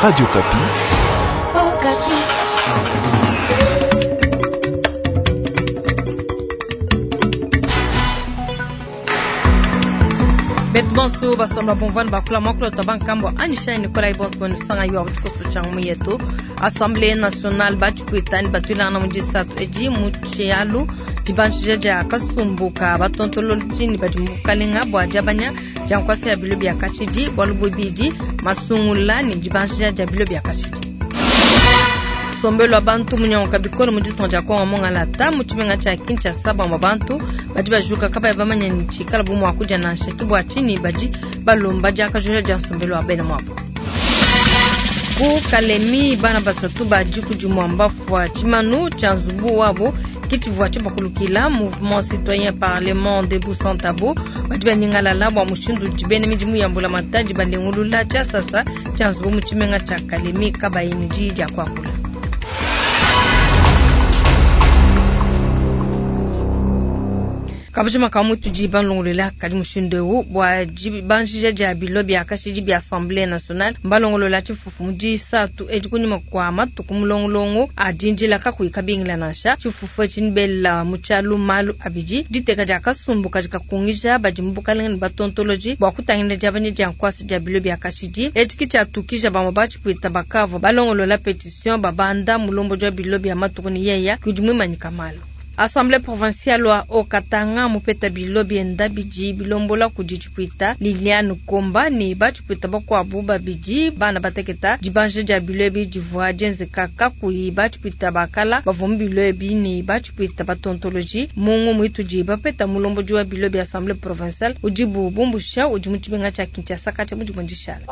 Radio Okapi. Betu bonso basomba bumvua bakula muakulu twa bankambua anyishayi nikolai bonso benu sanga yiwa tshikoso tshia ngumu yetu. Assemblée nationale batshipwita ne batuilangana mu disatu edi mu tshialu dibanjija dia kasumbu ka batontolodi ne badi mu bukalenga bua diabanya dia nkuasa ya bilo bia kashidi bualu bubidi masungula ne dibanjija dia bilo bia kashidi. Nsombelu wa bantu munyanguka bikole mu ditunga dia Kongo mungalata mu tshimenga tshia Kinshasa bamue bantu badi bajuka kabayi bamanye ne tshikala bu mua kudia nansha ke bua tshinyi badi balomba diakajuja dia nsombelu wa bena muabu. Ku Kalemi bana basatu ba diku dimue mbafua tshimanu tshia nzubu wabo ke tshivua tshibakulukila. Mouvement citoyen parlement debout sans tabou badi banyingalala bua mushindu udi bena midimu ya mbulamatadi balengulula tshiasasa tshia nzubu mu tshimenga tshia Kalemi kabayi ne diyi dia kuakula. Kabujima ka mutu di balongolola kadi mushindu eu bua dibanjija dia bilo bia kashidi bia Assemblée nationale mbalongolola tshifufu mu disatu edi kunyima kua matuku mulongolongo a dindila kakuyi kabingila nansha. Tshifufu etshi nibela mu tshialu malu abidi diteka dia kasumbu kadi kakungija badi mu bukalenge ne batontoloji bua kutangila diabanya dia nkuasa dia bilo bia kashidi etshi ki tshiatukija bamue batshipwita bakavua balongolola petition babanda mulombodi wa bilo bia matuku ne yeya kudi muimanyika malu. Assemblée provinciale wa Haut-Katanga mupeta bilo bienda bidi bilombola kudi tshipwita Liliane Komba ne batshipwita bakuabu babidi bana bateketa dibanja dia bilo ebi divua dienzeka kakuyi batshipwita bakala bavua mu bilo ebi ne batshipwita batontoloji mungu muitudi bapeta mulombodi wa bilo bia Assemblée provinciale udibu bumbusha udi mu tshimenga tshia Kinshasa katshia mudimu dishala.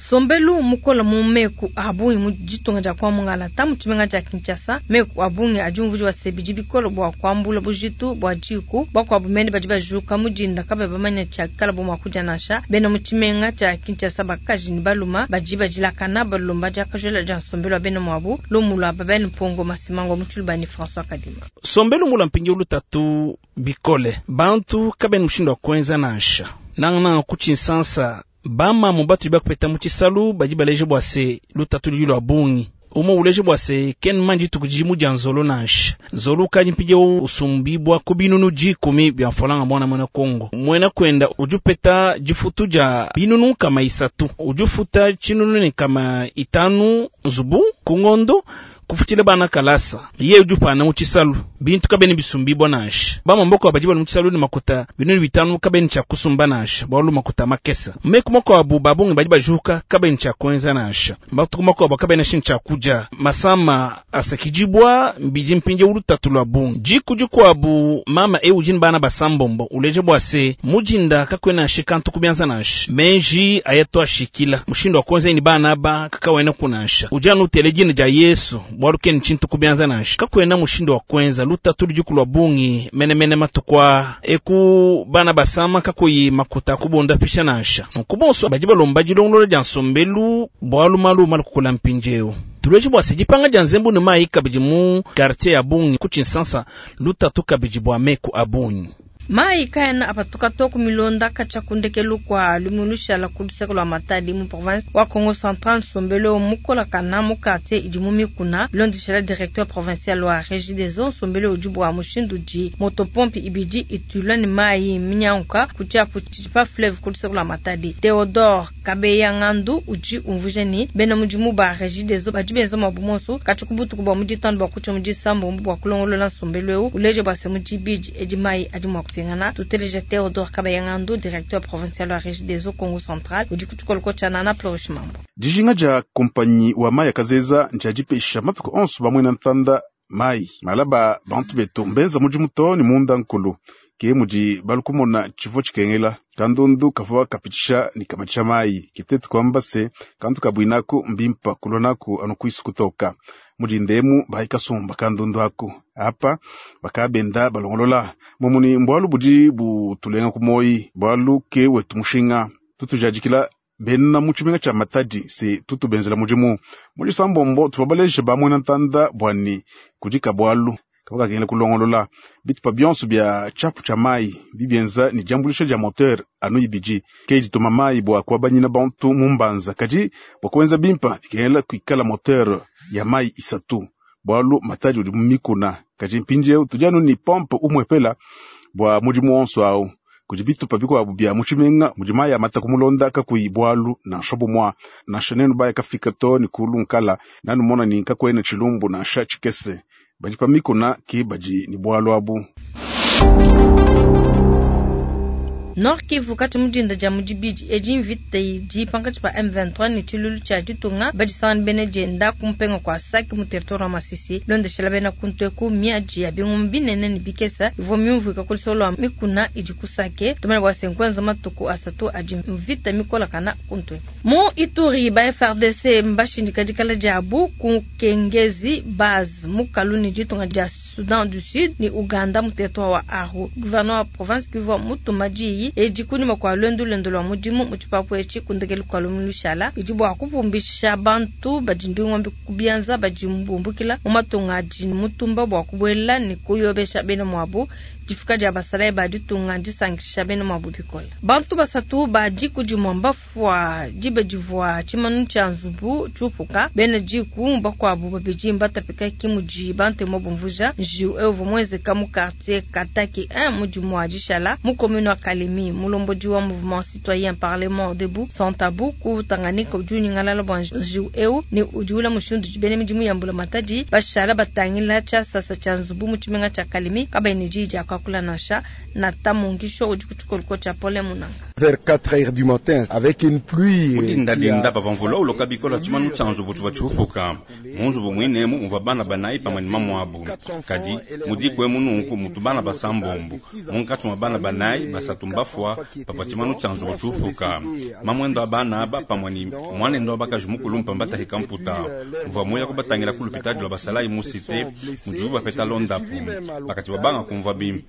Nsombelu mukola mu meku a bungi mu ditunga dia kwa Mungalata mu tshimenga tshia Kinshasa meku a bungi adi umvuija se bidi bikole bua kuambula bujitu bua diku bakuabu mene badi bajuka mu dinda kabayi bamanya tshiakala bu mua kudia nansha. Bena mu tshimenga tshia Kinshasa bakaji ne baluma badi badilakana balomba diakajola dia nsombelu wa bena muabu lumu lua Babel Mpongo Masimango mu Tshilubani François Kadima. Nsombelu mula mpindieu lutatu bikole bantu kabena mushindu wa kuenza nansha nangananga ku tshinsansa bamamu batu bakupeta mu tshisalu badi baleje bua se lutatu ludi lua bungi umwe uleje bua se ken mandi dituku didi mudia nzolo nansha nzolo ukadi mpindieu usumbibua ku binunu dikumi bia mfalanga mwana muena Kongo muena kwenda udi upeta difutu dia binunu nkama isatu udi ufuta tshinunu ne nkama itanu nzubu ku ngondo kufutile bana kalasa ye udi upana mu tshisalu bintu kabene bisumbibua nansha bamamboko badi bali mu tshisalu ne makuta binunu bitanu kabene tshia kusumba nansha bualu makuta makesa meku makuabu babungi badi bajuka kabene tshia kuenza nansha matuku makuabu kabene shini tshia kudia masama asakidibua bidi mpindieu lutatu lua bungi diku dikuabu mama eu udi ne bana basambombo uleje bua se mudinda kakuena shikantu kubianza nansha menji ayatu ashikila mushindu wa kuenza ni bana aba kakawena kunansha udi anu utele dina dia Yesu bualu keni tshintu kubianza nansha kakuena mushindu wa kuenza lutatu ludi lua bungi menemene matuku eku bana basama kakuyi makuta kubonda pisha nansha nunku bonso badi balomba dilongolola dia nsombelu bualu malu malu kukula mpindieu tuleje bua se dipanga dia nzembu ne mayi kabidi mu quartier ya bungi ku tshinsansa lutatu kabidi bua meku a bungi. Mayi kaena apatuka to ku milonda katshia ku ndekelu kua lumingu lushala ku luseke lua Matadi mu province wa Kongo Central nsombelu mukolakana mu quartier idi mu mikuna bilondeshela directeur provincial wa Régie des eaux nsombelu udi bua mushindu udi motopompe ibidi itulwa ne mayi minyanguka ku tshiapu tshidi pa fleuve ku luseke lua Matadi. Theodore Kabeya Ngandu udi umvuija ne bena mudimu ba Régie des eaux badi benza muabu monso katshia ku butuku bua mu ditanu bua kutshia mu disambombo bua kulongolola nsombelu eu uleje bua se mu dibidi edi mayi adi mua kupingana. Tuteleje Theodore Kabeya Ngandu directeur provincial wa Régie des eaux Kongo Central udi ku tshikoloko tshia Nana Flourish Mambo. Dijinga dia kompanyi wa mayi akazeza ndia dipesha matuku onso bamwena ntanda mayi malaba bantu betu mbenza mudimu to ne munda nkulu ke mudi balukumona tshivua tshikengela kandundu kavua kapitisha ne kamatsha mayi kitetu kwamba se kantu kabwinaku mbimpa kulwa anu kwisu kutoka mudindemu bayi kasumba kandundu aku apa bakabenda balongolola mumuni mbwalu budi butulenga ku moyi bwalu ke wetu mushinga tutujadikila bena mu tshimenga tshia Matadi se tutubenzela mudimu mu disambombo tuvua baleje bamwena ntanda bwani kudika bwalu. Kavua kakengela kulongolola bitupa bionso bia tshiapu tshia mayi bibienza ne diambuluisha dia moteur anu ibidi ke dituma mayi bua kuabanyina bantu mu mbanza. Kadi bua kuenza bimpa bikengela kuikala moteur ya mayi isatu bualu Matadi udi mu mikuna. Kadi mpindieu tudi anu ne pompe umuepela bua mudimu wonso awu. Kudi bitupa bikuabu bia mu tshimenga mudi mayi amata kumulonda kakuyi bualu nansha bumua. Nansha nenu baya kafika to ne kulu nkala nanumona ne kakuena tshilumbu nansha tshikese. Badi pa mikuna ke badi ne bualu abu. Nord Kivu kati mu dinda dia mu dibidi edi mvita idi pankatshi pa M23 ne tshiluilu tshia ditunga badisangana bena dienda ku mpenga kua Sake mu territoire wa Masisi. Londeshela bena kuntu eku miadi ya bingoma binene ne bikesa ivua miumvuika ku lusolo lua mikuna idi ku Sake. Tumanya bua se nkuenza matuku asatu adi mvita mikolakana kuntu eku. Mu Ituri ba FARDC mbashindika dikala diabu ku Kengezi base mukalu ne ditunga dia Soudan du Sud ne Ouganda mu territoire wa Aru. Gouverneur wa province Kivu mutuma diyi edi kunyima kua luendu luende lua mudimu mu tshipapu etshi ku ndekelu kua lumingu lushala bidi bua kupumbisha bantu badi mbingombe ku bianza badi bumbukila mu matunga adi mutumba bua kubuela ne kuyobesha bena muabu. Difika dia basalayi ba ditunga ndisankisha bena muabu bikole. Bantu basatu ba diku dimue mbafua diba divua tshimanu tshia nzubu tshiupuka. Bena diku bakuabu babidi mbatapika ke mudi Bantemu bumvuija. Njiwu eu uvua muenzeka mu quartier Kataki 1 mu dimua dishala mu commune wa Kalemi. Mulombodi wa Mouvement Citoyen Parlement Debout Sans Tabou ku Tanganyika udi unyingalala bua njiwu eu ne udiwula mushindu udi bena midimu ya mbulamatadi bashala batangila tshiasasa tshia nzubu mu tshimenga tshia Kalemi kabayi ne diyi dia kuakula nansha. Nathan Mongisho udi ku tshikoliko tshia Paulin Munanga. Vers 4 heures du matin, avec une pluie Mu dindadinda pavua mvula uloka bikole, tshimanu tshia nzubu tshivua tshiupuka. Mu nzubu muine emu muvua bana banayi pamue ne mamuabu. Kadi mu diku emu nunku mutu bana basambombo. Munkatshi mua bana banayi, basatu mbafua pavua tshimanu tshia nzubu tshiupuka. Mamuende wa bana aba pamue ne muanende wa bakaji mukulumpe mbatahika mputa. Mvua muya kubatangila ku lupitadi lua basalayi mu site mudibu bapeta londapu. Bakatshivua banga kumvua bimpe.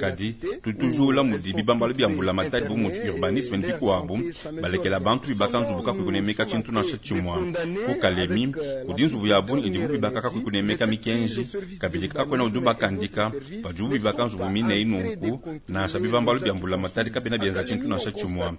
Kadi tudi tujula mudi bibambalu bia mbulamatadi bu mudi urbanisme ne bikuabu balekela bantu bibaka nzubu kakuyi kunemeka tshintu nansha tshimue. Ku Kalemi kudi nzubu ya bungi idibu bibaka kakuyi kunemeka mikenji, kabidi kakuena udi ubakandika padibu bibaka nzubu mine eyi nunku. Nansha bibambalu bia mbulamatadi kabiena bienza tshintu nansha tshimue.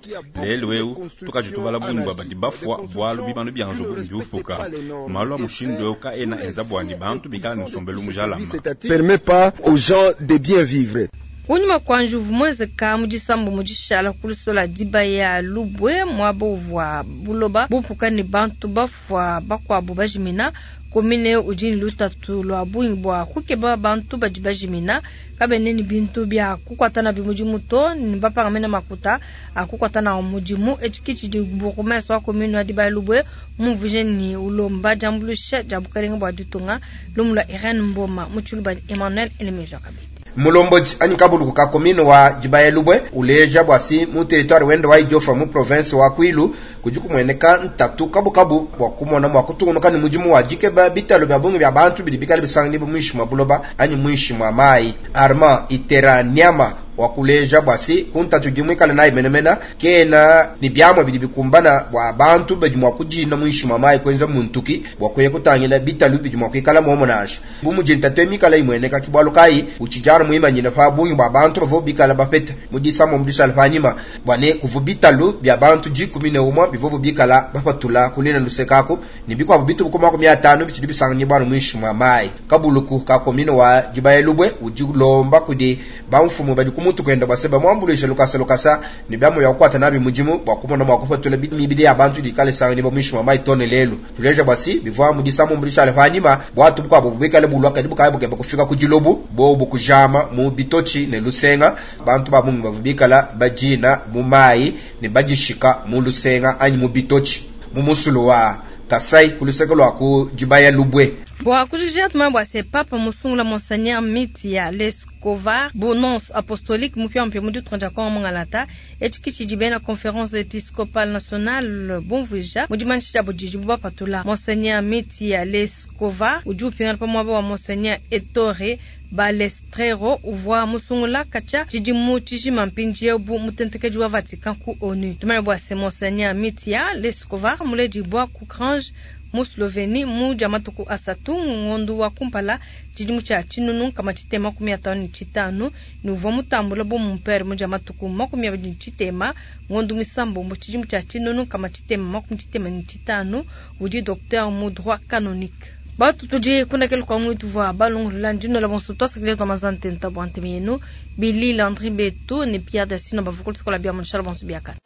Lelu eu tukadi tubala bungi bua badi bafua bualu bimanu bia nzubu mbiupuka. Malu a mushindu eu kaena enza bua ne bantu bikale ne nsombelu mujalame. Permet pas aux gens de bien vivre. Kunyima kua njuvu muenzeka mu disambu mu dishala ku lusola dibaya lubue muaba uvua buloba bupuka ne bantu bafua bakuabu bajimina. Commune udi ne lutatu lua bungi bua kukeba bantu badi bajimina, kabena ne bintu bia kukuata nabi mudimu to, ne bapanga mena makuta a kukuata nawu mudimu. Etshi ke tshidi bourgmestre wa commune wa dibaya lubue mumvuije ne ulomba diambuluisha dia bukalenge bua ditunga. Lumu lua Irene Mboma mu tshiluba ne Emmanuel Elemeja kabidi. Mulombodi anyi kabuluku ka commune wa dibaya lubue uleja bua si mu territoire wende wa Idiofa mu province wa Kwilu kudi kumueneka ntatu kabukabu bua kumona mua kutungunuka ne mudimu wa dikeba bitalo bia bungi bia bantu bidi bikale bisanganyibua muinshi mua buloba anyi muinshi mua mayi. Armand Itera Nyama wa kuleja bua si ku ntatu idi muikale nayi menemene kena ne biamua bidi bikumbana bua bantu badi mua kudina muinshi mua mayi kuenza muntuki bua kuya kutangila bitalu bidi mua kuikala muomo nansha bu mudi ntatu eyi mikale imueneka. Ke bualu kayi utshidi anu muimanyine pa bungi bua bantu bavua bikale bapete mu disambombo dishala panyima bua ne kuvua bitalu bia bantu 11 bivuabu bikala bapatula ku luine luseke aku ne bikuabu bitubu ku 50 bitshidi bisanganyibua anu muinshi mua mayi. Kabuluku ka commune wa Dibaya Lubue udi ulomba kudi bamfumu badi ku mutu kuende bua se bamuambuluishe lukasa lukasa ne biamu bia kukuata nabi mudimu bua kumona mua kupatula mibidi ya bantu idi ikale isanganyibua muinshi mua mayi too ne lelu. Tuleja bua si bivua mu disambombo dishale panyima, buatu bukuabu buikale bulua kadi bukaya bukeba kufika ku dilobu, bobu kujama mu bitotshi ne lusenga. Bantu ba bungi bavua bikala badina mu mayi ne badishika mu lusenga anyi mu bitotshi mu musulu wa Kasai ku luseke lua ku Dibaya Lubue. Bua kujikija tumanye bua se Papa musungula Monseigneur Mitja Leskovar bu nonce apostolique mupiamupia mu ditunga dia Congo mungalata. Etshi ke tshidi bena Conference Episcopale Nationale bumvuija mu dimanyisha diabu didibu bapatula. Monseigneur Mitja Leskovar udi upingana pa muaba wa Monseigneur Ettore Balestrero uvua musungula katshia tshidimu tshijima mpindieu bu mutentekedi wa Vatican ku ONU. Tumanye bua se Monseigneur Mitja Leskovar muledibua ku Kranj. mu Slovenie mu dia matuku asatu mu ngondu wa kumpala tshidimu tshia 1655 ne uvua mutambula bu mumpere mu dia matuku 23 ngondu misambombo tshidimu tshia 1665 udi docteur mu droit canonique. Batu tudi kundakela kwa mwitu vwa balongolola ndino la bonso twasakile twa mazantenta bwa nteme yenu Billy Landry Beto ne Pierre Dasino bavukulu sikola bia munshala bonso biakana.